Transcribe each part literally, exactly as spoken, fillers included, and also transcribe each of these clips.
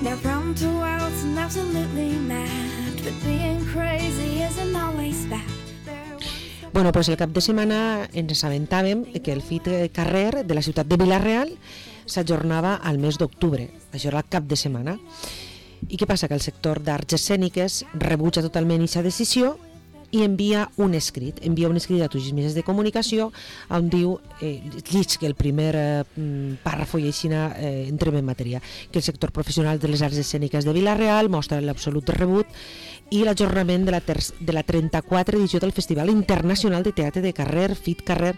They're prone to worlds and absolutely mad, but being crazy isn't always bad. Bueno, pues el cap de setmana ens assabentàvem que el Fit Carrer de la ciutat de Vila-real s'ajornava al mes d'octubre. Això era el cap de setmana. I què passa? Que el sector d'arts escèniques rebutja totalment aquesta decisió i envia un escrit, envia un escrit a tots els mitjans de comunicació on diu, eh, llig que el primer eh, pàrrafo i així eh, entrem en matèria, que el sector professional de les arts escèniques de Vila-real mostra l'absolut rebut i l'ajornament de la, de la trenta-quatre edició del Festival Internacional de Teatre de Carrer, Fit Carrer,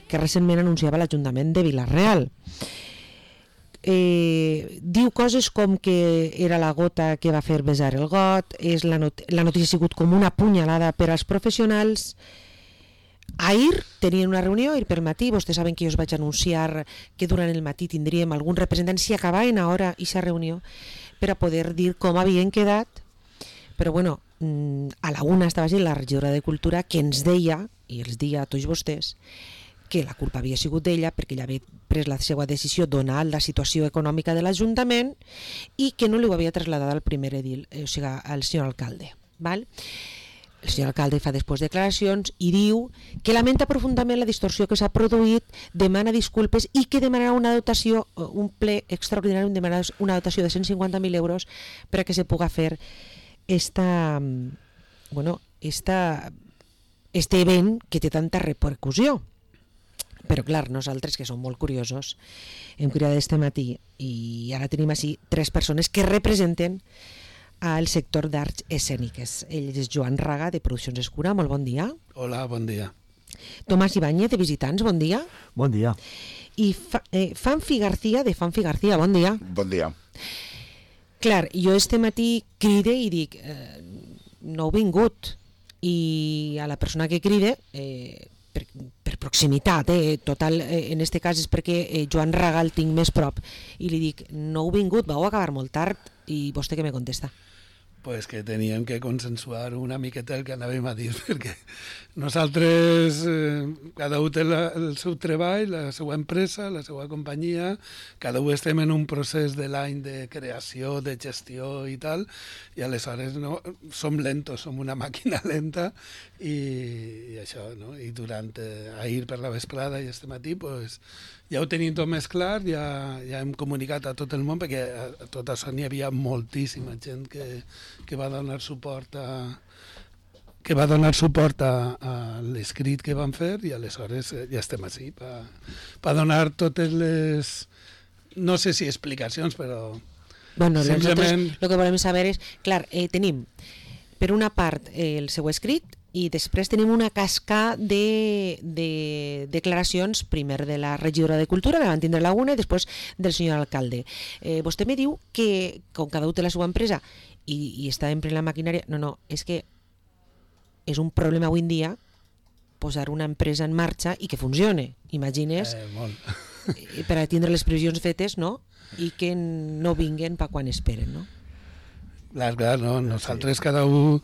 que recentment anunciava l'Ajuntament de Vila-real. Eh, diu coses com que era la gota que va fer besar el got, és la, not la notícia ha sigut com una punyalada per als professionals. Ahir tenien una reunió, ahir per matí, vostès saben que jo us vaig anunciar que durant el matí tindríem algun representant si acabaven a hora aquesta reunió per a poder dir com havien quedat, però bueno, a la una estava gent la regidora de Cultura que ens deia, i els deia a tots vostès, que la culpa havia sigut d'ella perquè ella havia pres la seva decisió donada la situació econòmica de l'Ajuntament i que no li ho havia traslladat al primer edil, eh, o sigui, al senyor alcalde. Val? El senyor alcalde fa després declaracions i diu que lamenta profundament la distorsió que s'ha produït, demana disculpes i que demanarà una dotació, un ple extraordinari, demanarà una dotació de cent cinquanta mil euros per a que se puga fer esta, bueno, esta, este event que té tanta repercussió. Però clar, nosaltres, que som molt curiosos, hem criat este matí i ara tenim així tres persones que representen al sector d'arts escèniques. Ell és Joan Raga, de Produccions Escura, molt bon dia. Hola, bon dia. Tomàs Ibáñez, de Visitants, bon dia. Bon dia. I Fa, eh, Fanfi García, de Fanfi García, bon dia. Bon dia. Clar, jo este matí cride i dic, eh, no heu vingut, i a la persona que cride... Eh, Per, per proximitat, eh? Total, eh, en este cas és perquè eh, Joan Raga el tinc més prop i li dic, no heu vingut, vau acabar molt tard, i vostè què me contesta? Pues que teníem que consensuar una miqueta el que anàvem a dir, perquè nosaltres, eh, cada un té la, el seu treball, la seva empresa, la seva companyia, cada un estem en un procés de l'any de creació, de gestió i tal, i aleshores no, som lentos, som una màquina lenta, i, i això, no? I durant, eh, ahir per la vesprada i este matí, pues, ja ho tenim tot més clar, ja, ja hem comunicat a tot el món, perquè a, a tot això n'hi havia moltíssima gent que, que va donar suport a que va donar suport a, a l'escrit que van fer, i aleshores ja estem així per pa donar totes les, no sé si explicacions, però bueno, simplement... el que volem saber és, clar, eh, tenim per una part eh, el seu escrit, i després tenim una casca de, de declaracions, primer de la regidora de Cultura, que van tindre la una, i després del senyor alcalde. Eh, vostè me diu que, com cada un té la seva empresa i, i està en plena maquinària, no, no, és que és un problema avui en dia posar una empresa en marxa i que funcione. Imagines, eh, molt. per a tindre les previsions fetes, no? I que no vinguen per quan esperen, no? Clar, clar, no? Nosaltres cada un,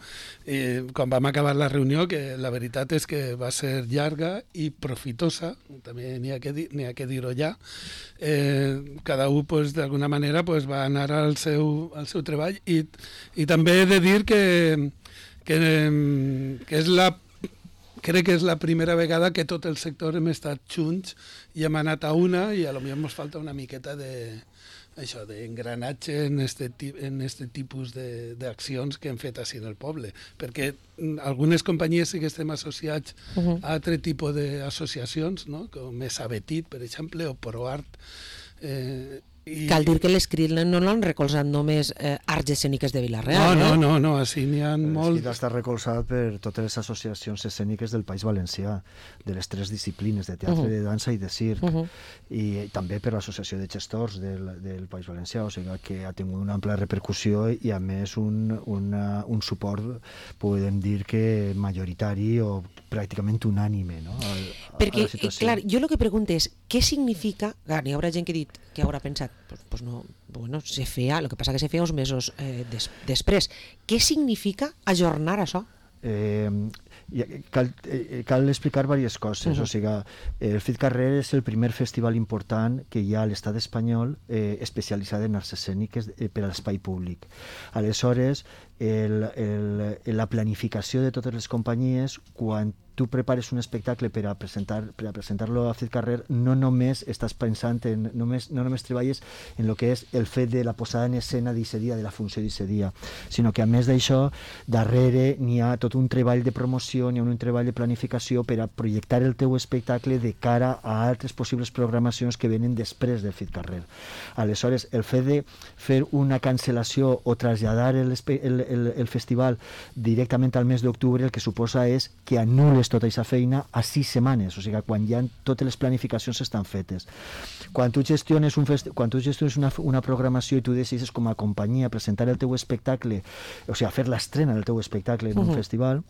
eh, quan vam acabar la reunió, que la veritat és que va ser llarga i profitosa, també n'hi ha que, dir, n'hi ha que dir-ho ja, eh, cada un pues, d'alguna manera pues, va anar al seu, al seu treball, i, i també he de dir que, que, que és la crec que és la primera vegada que tot el sector hem estat junts i hem anat a una, i a lo millor ens falta una miqueta de això d'engranatge en este, en este tipus d'accions que hem fet així en el poble, perquè algunes companyies sí que estem associats uh-huh. a altre tipus d'associacions, no? Com és Abetit, per exemple, o ProArt. Eh, i... Cal dir que l'escrit no l'han recolzat només eh, arts escèniques de Vila-real, no, eh? no, no, no, així n'hi ha molt... L'escrit està recolzat per totes les associacions escèniques del País Valencià, de les tres disciplines, de teatre, uh-huh. de dansa i de circ, uh-huh. i també per l'associació de gestors del, del País Valencià, o sigui que ha tingut una ampla repercussió i a més un, una, un suport, podem dir que majoritari o pràcticament unànime, no? A, a, perquè, a la situació. clar, jo el que pregunto és, què significa, clar, n'hi haurà gent que ha dit, que haurà pensat, pues, pues no, bueno, se feia, el que passa que se feia uns mesos eh, des, després. Què significa ajornar això? Eh, cal, eh, cal explicar diverses coses. Uh-huh. O sigui, el FitCarrer és el primer festival important que hi ha a l'estat espanyol eh, especialitzat en arts escèniques eh, per a l'espai públic. Aleshores, el, el, la planificació de totes les companyies, quan tu prepares un espectacle per a presentar per a presentar-lo a FitCarrer, no només estàs pensant en, només, no només treballes en el que és el fet de la posada en escena d'aquest dia, de la funció d'aquest dia, sinó que a més d'això, darrere n'hi ha tot un treball de promoció, n'hi ha un treball de planificació per a projectar el teu espectacle de cara a altres possibles programacions que venen després del FitCarrer. Aleshores, el fet de fer una cancel·lació o traslladar el, el, el, el festival directament al mes d'octubre, el que suposa és que anul·les tota aquesta feina a sis setmanes, o sigui, quan ja totes les planificacions estan fetes. Quan tu gestiones, un festi- quan tu gestiones una, una programació i tu decides com a companyia presentar el teu espectacle, o sigui, fer l'estrena del teu espectacle en un uh-huh. festival,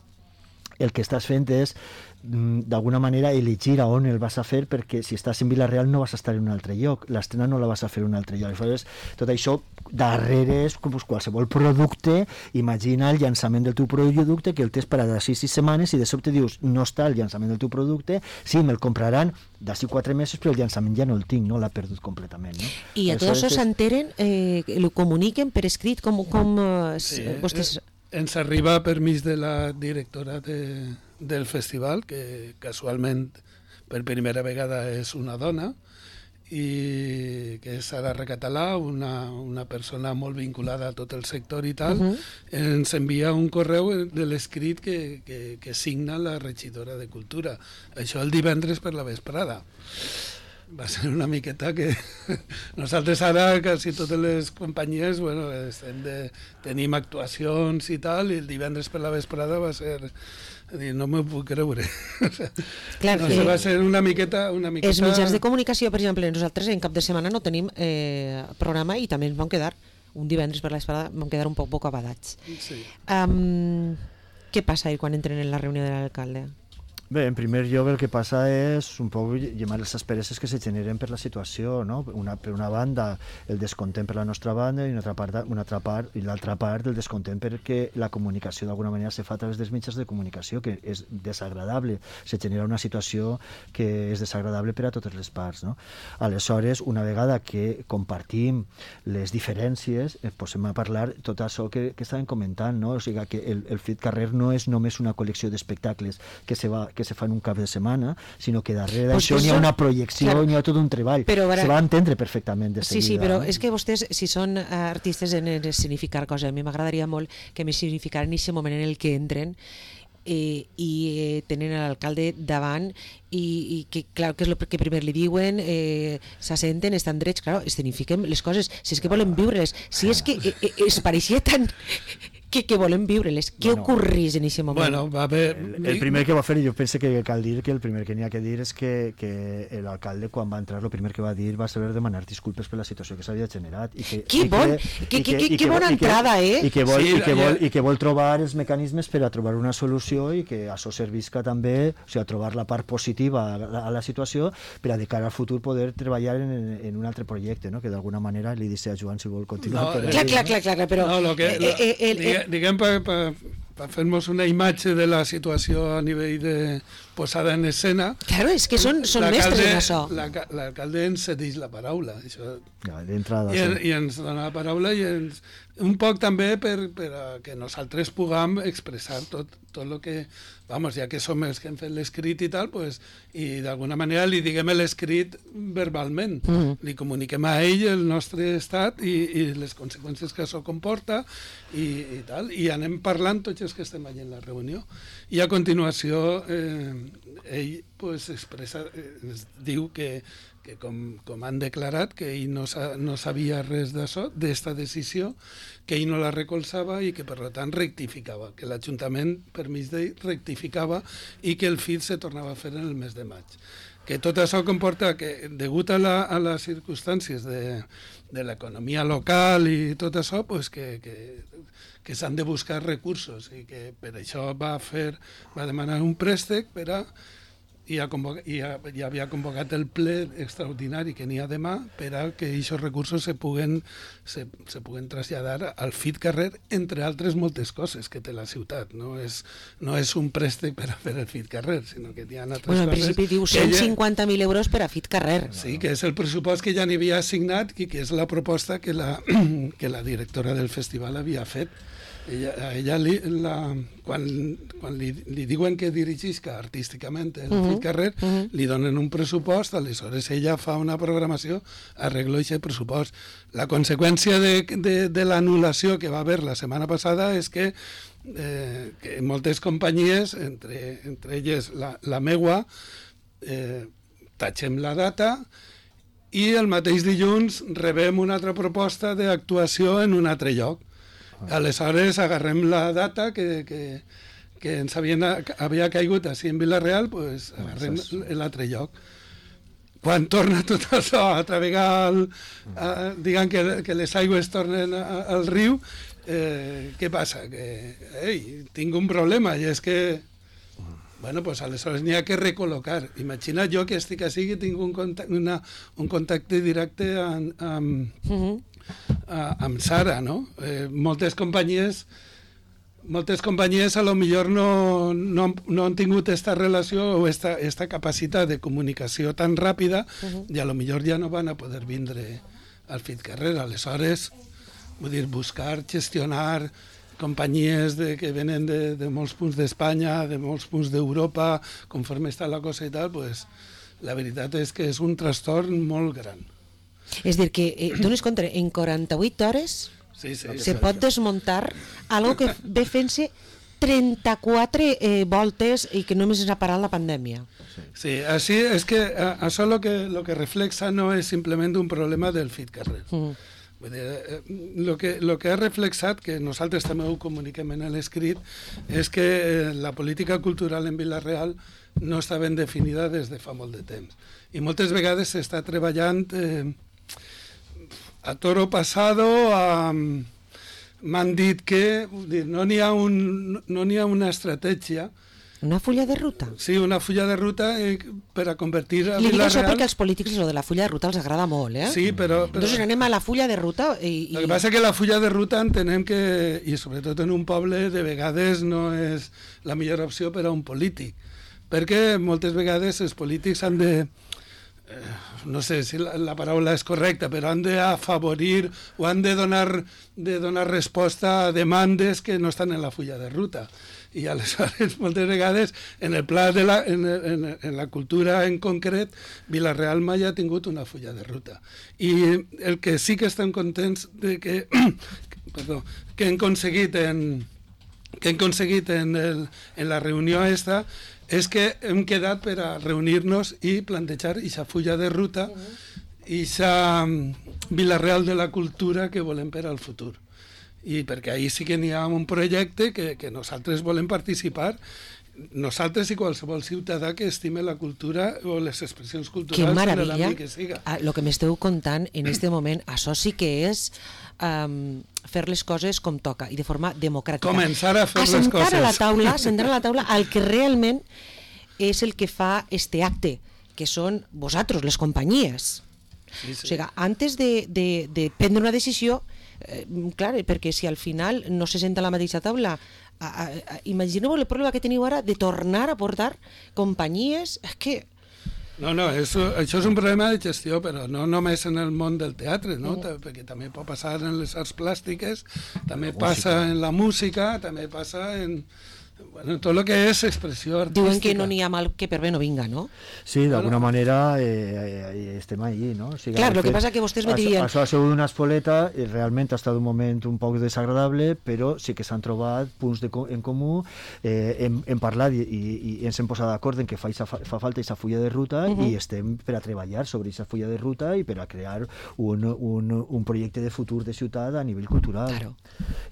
el que estàs fent és, d'alguna manera, elegir a on el vas a fer, perquè si estàs en Vila-real no vas a estar en un altre lloc, l'estrena no la vas a fer en un altre lloc. Aleshores, tot això darrere és com qualsevol producte. Imagina el llançament del teu producte, que el tens per a d'ací sis setmanes i de sobte dius, no està el llançament del teu producte, sí, me'l compraran d'ací quatre mesos, però el llançament ja no el tinc, no l'ha perdut completament. No? I a tot això s'enteren, eh, ho comuniquen per escrit, com, com eh, sí, vostès... Ens arriba permís de la directora de, del festival, que casualment per primera vegada és una dona, i que és Sara Recatalà, una, una persona molt vinculada a tot el sector i tal. Uh-huh. Ens envia un correu de l'escrit que, que, que signa la regidora de Cultura. Això el divendres per la vesprada. Va ser una miqueta que nosaltres ara, quasi totes les companyies, bueno, estem de, tenim actuacions i tal, i el divendres per la vesprada va ser... Dir, no m'ho puc creure. Clar, no sé, va ser una miqueta, una miqueta... Els mitjans de comunicació, per exemple, nosaltres en cap de setmana no tenim eh, programa i també ens vam quedar, un divendres per la vesprada, vam quedar un poc bocabadats. Sí. Um, què passa ahir quan entren en la reunió de l'alcalde? Bé, en primer lloc el que passa és un poc llamar les aspereses que se generen per la situació, no? Una, per una banda el descontent per la nostra banda i una altra part, una altra part i l'altra part el descontent perquè la comunicació d'alguna manera se fa a través dels mitjans de comunicació, que és desagradable, se genera una situació que és desagradable per a totes les parts, no? Aleshores, una vegada que compartim les diferències, eh, posem a parlar tot això que, que estàvem comentant, no? O sigui que el, el FitCarrer no és només una col·lecció d'espectacles que se va que se fa en un cap de setmana, sinó que darrere d'això pues n'hi ha una projecció, claro, n'hi ha tot un treball. Però ara... Se va entendre perfectament de seguida. Sí, sí, però no? És que vostès, si són artistes en escenificar coses, a mi m'agradaria molt que m'escenificaran en aquest moment en el que entren eh, i eh, tenen l'alcalde davant i, i que, clar, que és el que primer li diuen, eh, s'assenten, estan drets, clar, escenifiquem les coses, si és que volen viure-les, si és que eh, eh, es pareixia tan... que, que volem viure-les. Què bueno, ocorrís en aquest moment? Bueno, va haver... el, el primer que va fer, jo penso que cal dir que el primer que n'hi ha que dir és que, que l'alcalde quan va entrar el primer que va dir va ser demanar disculpes per la situació que s'havia generat. I que, que i bon! Que, que, que, que bona entrada, eh? I que, vol, sí, i, que vol, I que vol trobar els mecanismes per a trobar una solució i que això servisca també, o sigui, a trobar la part positiva a la, a la situació per a de cara al futur poder treballar en, en un altre projecte, no? Que d'alguna manera li dice a Joan si vol continuar. No, però, clar, clar, clar, clar, però... No, lo que, eh, eh, eh, lo, eh, diguem per, per, per fer-nos una imatge de la situació a nivell de posada en escena. Claro, és que són, són mestres en això. L'alcalde ens cedeix la paraula. Això, ja, d'entrada, i, sí. I ens dona la paraula i ens, un poc també per, per a que nosaltres puguem expressar tot, tot el que, vamos, ja que som els que hem fet l'escrit i tal, pues, i d'alguna manera li diguem l'escrit verbalment, mm -hmm. li comuniquem a ell el nostre estat i, i les conseqüències que això comporta i, i tal, i anem parlant tots els que estem allà en la reunió. I a continuació eh, ell pues, expressa, eh, diu que que com, com han declarat que ell no, sa, no sabia res d'això, d'esta decisió, que ell no la recolzava i que per tant rectificava, que l'Ajuntament, per mig d'ell, rectificava i que el FIT se tornava a fer en el mes de maig. Que tot això comporta que, degut a, la, a les circumstàncies de, de l'economia local i tot això, pues que, que, que s'han de buscar recursos i que per això va fer, va demanar un préstec per a i, ha convocat, i ha, ja havia convocat el ple extraordinari que n'hi ha demà per a que aquests recursos se puguen, se, se puguen traslladar al F I T Carrer, entre altres moltes coses que té la ciutat. No és, no és un préstec per a fer el F I T Carrer, sinó que hi ha altres bueno, en coses... principi diu cent cinquanta mil euros per a F I T Carrer. Sí, que és el pressupost que ja n'hi havia assignat i que és la proposta que la, que la directora del festival havia fet. Ella, a ella li, la, quan, quan li, li diuen que dirigisca artísticament el uh-huh. F I T Carrer, uh-huh. li donen un pressupost, aleshores ella fa una programació, arregla aquest pressupost. La conseqüència de, de, de l'anul·lació que va haver la setmana passada és que, eh, que moltes companyies, entre, entre elles la, la meua, eh, tatxem la data i el mateix dilluns rebem una altra proposta d'actuació en un altre lloc. Aleshores agarrem la data que, que, que ens havien, havia caigut així en Vila-real, pues, agarrem l'altre lloc. Quan torna tot això a travegar, el, a, diguem que, que les aigües tornen a, al riu, eh, què passa? Que ei, tinc un problema, i és que bueno, pues aleshores n'hi ha que recol·locar. Imagina jo que estic així i tinc un contacte, una, un contacte directe amb, amb, uh-huh. a, amb Sara, no? Eh, moltes companyies moltes companyies a lo millor no, no, no han tingut esta relació o esta, esta capacitat de comunicació tan ràpida uh-huh. i a lo millor ja no van a poder vindre al F I T Carrer. Aleshores, vull dir, buscar, gestionar companyies de, que venen de, de molts punts d'Espanya, de molts punts d'Europa, conforme està la cosa i tal, pues, la veritat és que és un trastorn molt gran. És dir, que eh, dones compte, en quaranta-vuit hores sí, sí, se sí, pot sí. desmuntar algo que ve fent-se trenta-quatre eh, voltes i que només ens ha parat la pandèmia. Sí, així és que a, això lo que, lo que reflexa no és simplement un problema del F I T Carrer. Uh-huh. Vull dir, eh, lo que, lo que ha reflexat, que nosaltres també ho comuniquem en l'escrit, és que eh, la política cultural en Vila-real no està ben definida des de fa molt de temps. I moltes vegades s'està treballant eh, a toro pasado, a... m'han dit que dir, no n'hi ha, un, no n'hi ha una estratègia. Una fulla de ruta? Sí, una fulla de ruta eh, per a convertir a Li dic això Vila-real... perquè als polítics lo de la fulla de ruta els agrada molt, eh? Sí, però... però... Entonces anem a la fulla de ruta i... i... El que passa que la fulla de ruta entenem que, i sobretot en un poble, de vegades no és la millor opció per a un polític, perquè moltes vegades els polítics han de... Eh, no sé si la, la paraula és correcta, però han d'afavorir o han de donar, de donar resposta a demandes que no estan en la fulla de ruta. I aleshores, moltes vegades, en el pla de la, en, en, en la cultura en concret, Vila-real mai ha tingut una fulla de ruta. I el que sí que estem contents de que, perdó, que hem aconseguit en, que hem aconseguit en, el, en la reunió esta és que hem quedat per a reunir-nos i plantejar aquesta fulla de ruta i aquesta Vila-real de la cultura que volem per al futur. I perquè ahir sí que n'hi ha un projecte que, que nosaltres volem participar, nosaltres i qualsevol ciutadà que estime la cultura o les expressions culturals. Que maravilla, en l'àmbit que siga. El que m'esteu contant en este moment, això sí que és um, fer les coses com toca i de forma democràtica. Començar a fer les assentar coses. A la taula, assentar a la taula el que realment és el que fa este acte, que són vosaltres, les companyies. Sí, sí. O sigui, antes de, de, de prendre una decisió, eh, clar, perquè si al final no se senta a la mateixa taula, a, a, a, imagineu el problema que teniu ara de tornar a portar companyies, és que... No, no, és, això és un problema de gestió, però no només en el món del teatre, no? Mm. Perquè també pot passar en les arts plàstiques, també la passa música. En la música, també passa en... Bueno, tot el que és expressió artística. Diuen que no n'hi ha mal que per bé no vinga, no? Sí, d'alguna bueno. manera eh, eh, estem allí, no? O sigui, clar, el que passa que vostès me dirien... Això ha sigut una espoleta, i realment ha estat un moment un poc desagradable, però sí que s'han trobat punts de, en comú, eh, hem, hem parlat i, i, i ens hem posat d'acord en que fa, fa, fa falta aquesta fulla de ruta uh-huh. i estem per a treballar sobre aquesta fulla de ruta i per a crear un, un, un projecte de futur de ciutat a nivell cultural, claro.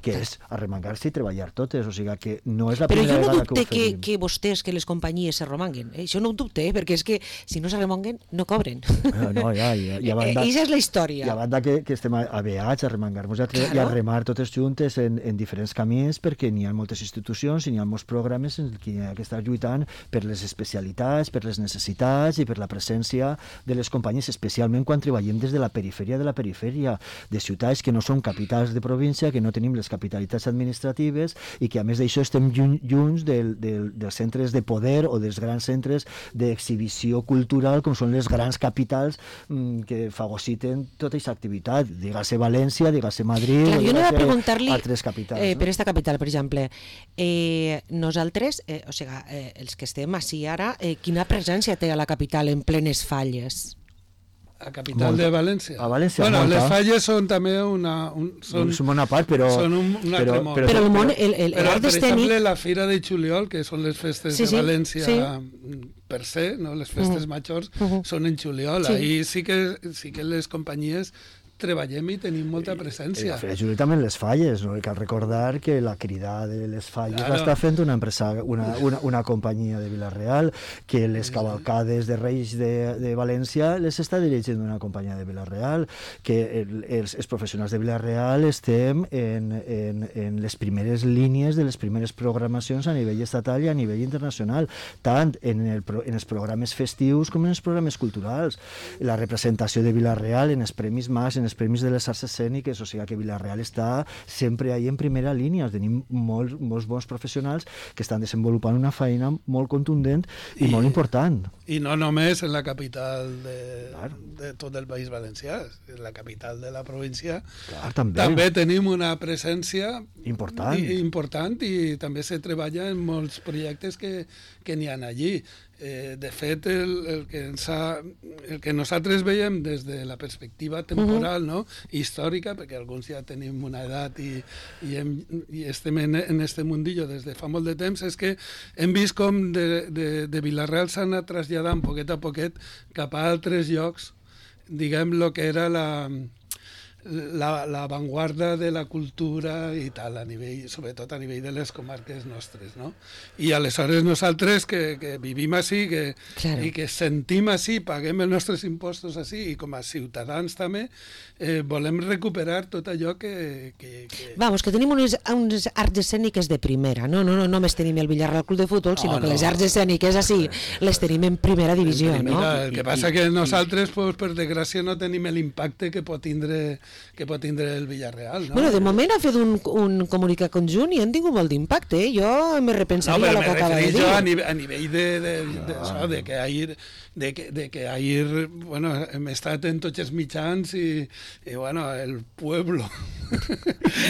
que claro. és arremangar-se i treballar totes, o sigui que no és la Però jo no vegada dubte que, que, que, que vostès, que les companyies se romanguen. Eh? Això no ho dubte, eh? perquè és que si no se remonguen, no cobren. No, no, ja, ja, ja banda, I això és la història. I a banda que, que estem aveats a remangar-nos i, Claro. i a remar totes juntes en, en diferents camins, perquè n'hi ha moltes institucions i n'hi ha molts programes en què hi ha que estar lluitant per les especialitats, per les necessitats i per la presència de les companyies, especialment quan treballem des de la perifèria de la perifèria, de ciutats que no són capitals de província, que no tenim les capitalitats administratives i que a més d'això estem lluny, lluny del, del, dels centres de poder o dels grans centres d'exhibició cultural com són les grans capitals mmm, que fagociten tota aquesta activitat, digues-se València, digues-se Madrid, Clar, jo no digues-se vaig preguntar-li altres capitals. Eh, no? per esta capital, per exemple, eh, nosaltres, eh, o sigui, eh, els que estem així ara, eh, quina presència té a la capital en plenes falles? A capital Molta. de València. A València, bueno, molta. les falles són també una... Un, són, És una part, però... són un, un altre però, món. Però el món, el, el, Però, l'art per escènic... exemple, la Fira de Juliol, que són les festes Sí, de sí, València sí. per se, no? Les festes Mhm. majors, Mhm. són en juliol. Sí. Ahí sí que, sí que les companyies treballem i tenim molta I presència. la Fira Juli també en les falles, no? Cal recordar que la crida de les falles Claro. l'està fent una empresa, una, una, una companyia de Vila-real, que les cavalcades de Reis de, de València les està dirigint una companyia de Vila-real, que el, els, els professionals de Vila-real estem en, en, en les primeres línies de les primeres programacions a nivell estatal i a nivell internacional, tant en, el, en els programes festius com en els programes culturals. La representació de Vila-real en els Premis Mas, en els Premis de les Arts Escèniques, o sigui que Vila-real està sempre ahí en primera línia. Tenim molts, molts bons professionals que estan desenvolupant una feina molt contundent i, I molt important. I no només en la capital de, Claro. de tot el País Valencià, en la capital de la província. Clar, també. També tenim una presència Important. i, important i també se treballa en molts projectes que, que n'hi ha allí. Eh, de fet, el, el, que ens ha, el que nosaltres veiem des de la perspectiva temporal, uh-huh. no? històrica, perquè alguns ja tenim una edat i, i, hem, i estem en, en este mundillo des de fa molt de temps, és que hem vist com de, de, de Vila-real s'ha anat traslladant poquet a poquet cap a altres llocs, diguem, lo que era la... La, la avantguarda de la cultura i tal, a nivell, sobretot a nivell de les comarques nostres, no? I aleshores nosaltres que, que vivim així que, Claro. i que sentim així, paguem els nostres impostos així i com a ciutadans també eh, volem recuperar tot allò que... que, que... Vamos, que tenim unes, unes arts escèniques de primera, no, no, no només tenim el Villarreal Club de Futbol, sinó No, que no. les arts escèniques així les tenim en primera divisió, Mira, no? el que passa que nosaltres, pues, per desgràcia, no tenim l'impacte que pot tindre que pot tindre el Villarreal, no? Bueno, de moment ha fet un, un comunicat conjunt i han tingut molt d'impacte, eh? Jo me No, repensaria però el me que acaba de referís dir. jo a nivell, a nivell de, de, de, de, això, de que ahir, de que, de que ahir, bueno, hem estat en tots els mitjans i, i bueno, el pueblo,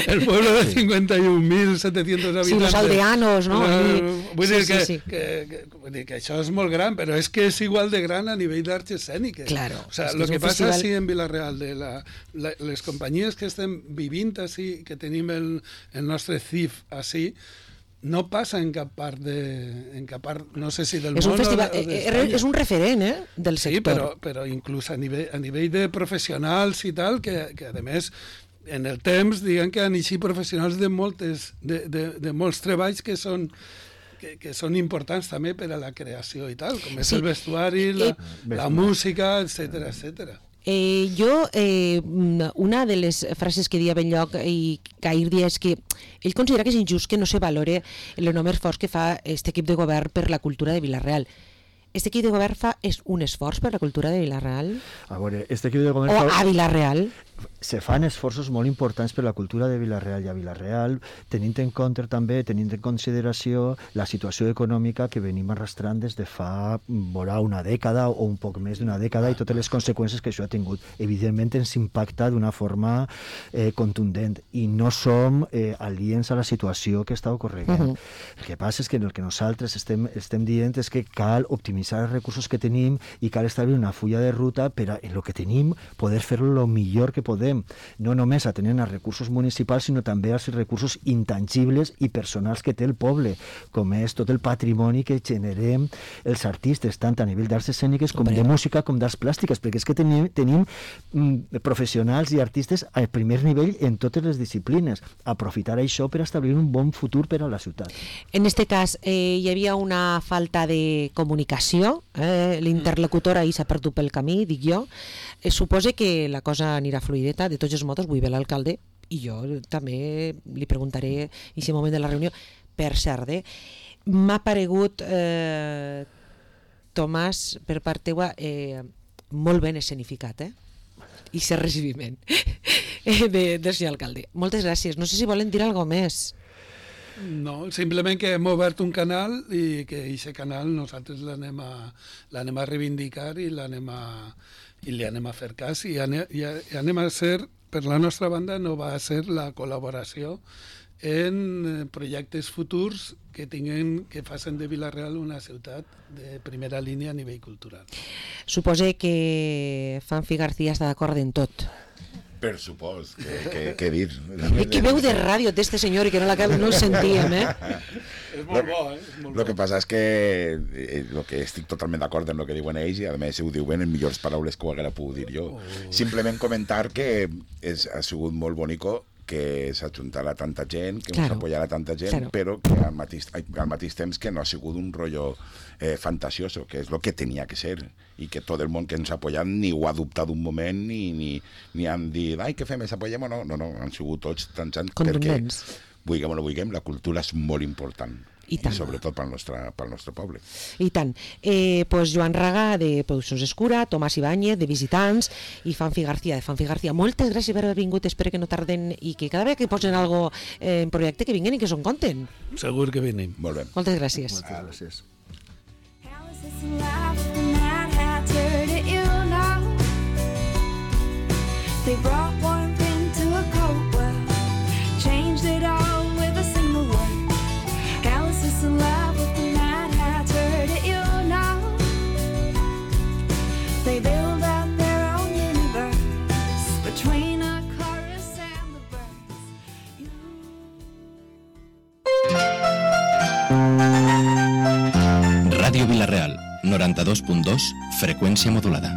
el pueblo de cincuenta y un mil setecientos habitantes. Sí, los aldeanos, ¿no? Eh, Allí. vull Sí, dir sí, que, sí. Que, que, vull dir que això és molt gran, però és que és igual de gran a nivell d'arts escèniques. Claro, O sea, és que lo és que un passa festival- així en Vila-real, de la, la, les companyies que estem vivint així, que tenim el, el nostre C I F així, no passa en cap part de, en cap part, no sé si del És un món festival, o de- o eh, d'Espanya. eh, és un referent, eh, del Sí, sector. però, però inclús a nivell, a nivell de professionals i tal, que, que a més en el temps diguem que han eixit professionals de, moltes, de, de, de molts treballs que són que, que són importants també per a la creació i tal, com és Sí. el vestuari, la, Eh, la música, etcètera, etcètera. Eh, jo, eh, una de les frases que dia Benlloc i que ahir dia és que ell considera que és injust que no se valore l'enorme esforç que fa aquest equip de govern per la cultura de Vila-real. Aquest equip de govern fa és un esforç per la cultura de Vila-real? A veure, este equip de govern... O fa- a Vila-real? se fan esforços molt importants per la cultura de Vila-real i a Vila-real, tenint en compte també, tenint en consideració la situació econòmica que venim arrastrant des de fa vora una dècada o un poc més d'una dècada i totes les conseqüències que això ha tingut. Evidentment ens impacta d'una forma eh, contundent i no som eh, aliens a la situació que està ocorrent. Uh-huh. El que passa és que el que nosaltres estem, estem dient és que cal optimitzar els recursos que tenim i cal establir una fulla de ruta per a, en el que tenim, poder fer-lo el millor que podem, no només atenent als recursos municipals, sinó també als recursos intangibles i personals que té el poble, com és tot el patrimoni que generem els artistes, tant a nivell d'arts escèniques com de música, com d'arts plàstiques, perquè és que tenim, tenim mm, professionals i artistes a primer nivell en totes les disciplines. Aprofitar això per establir un bon futur per a la ciutat. En este cas, eh, hi havia una falta de comunicació, eh, l'interlocutor ahir s'ha perdut pel camí, dic jo. Eh, suposa que la cosa anirà fluideta, de tots els modos, vull ver l'alcalde, i jo també li preguntaré en aquest moment de la reunió per Sardé. M'ha paregut, eh, Tomàs, per part teua, eh, molt ben escenificat, eh? I ser recibiment de, del senyor alcalde. Moltes gràcies. No sé si volen dir alguna cosa més. No, simplement que hem obert un canal i que aquest canal nosaltres l'anem a, l'anem a reivindicar i l'anem a, i li anem a fer cas i anem, i anem a ser, per la nostra banda, no va a ser la col·laboració en projectes futurs que tinguen, que facin de Vila-real una ciutat de primera línia a nivell cultural. Supose que Fanfi García està d'acord en tot. Per supost, que, que, que dir. Eh, que veu de ràdio d'este senyor i que no, la, no el sentíem, eh? És molt bo, eh? És molt Lo bo. que passa és que eh, lo que estic totalment d'acord amb el que diuen ells i a més ho diuen en millors paraules que ho haguera pogut dir jo. Oh. Simplement comentar que és, ha sigut molt bonico que s'ajuntara tanta gent, que claro, s'apoyara tanta gent, claro, però que al mateix, al mateix temps que no ha sigut un rotllo eh, fantasioso, que és el que tenia que ser, i que tot el món que ens ha apoyat ni ho ha dubtat un moment, ni, ni, ni han dit, ai, què fem, ens apoyem o no? No, no, han sigut tots tan sant, perquè, vulguem o no vulguem, la cultura és molt important. I, I sobretot pel nostre, pel nostre poble. I tant. Eh, pues Joan Raga, de Produccions Escura, Tomàs Ibáñez, de Visitants, i Fanfi García, de Fanfi García. Moltes gràcies per haver vingut, espero que no tarden i que cada vegada que posen algo eh, en projecte que vinguin i que s'ho conten. Segur que venim. Molt bé. Moltes gràcies. Moltes gràcies. They brought warmth into a cold world, changed it all with a single word. Alice is in love with the Mad Hatter, did you know? They build out their own universe between a chorus and the birds. You... Ràdio Vila-real, noranta-dos punt dos, freqüència modulada.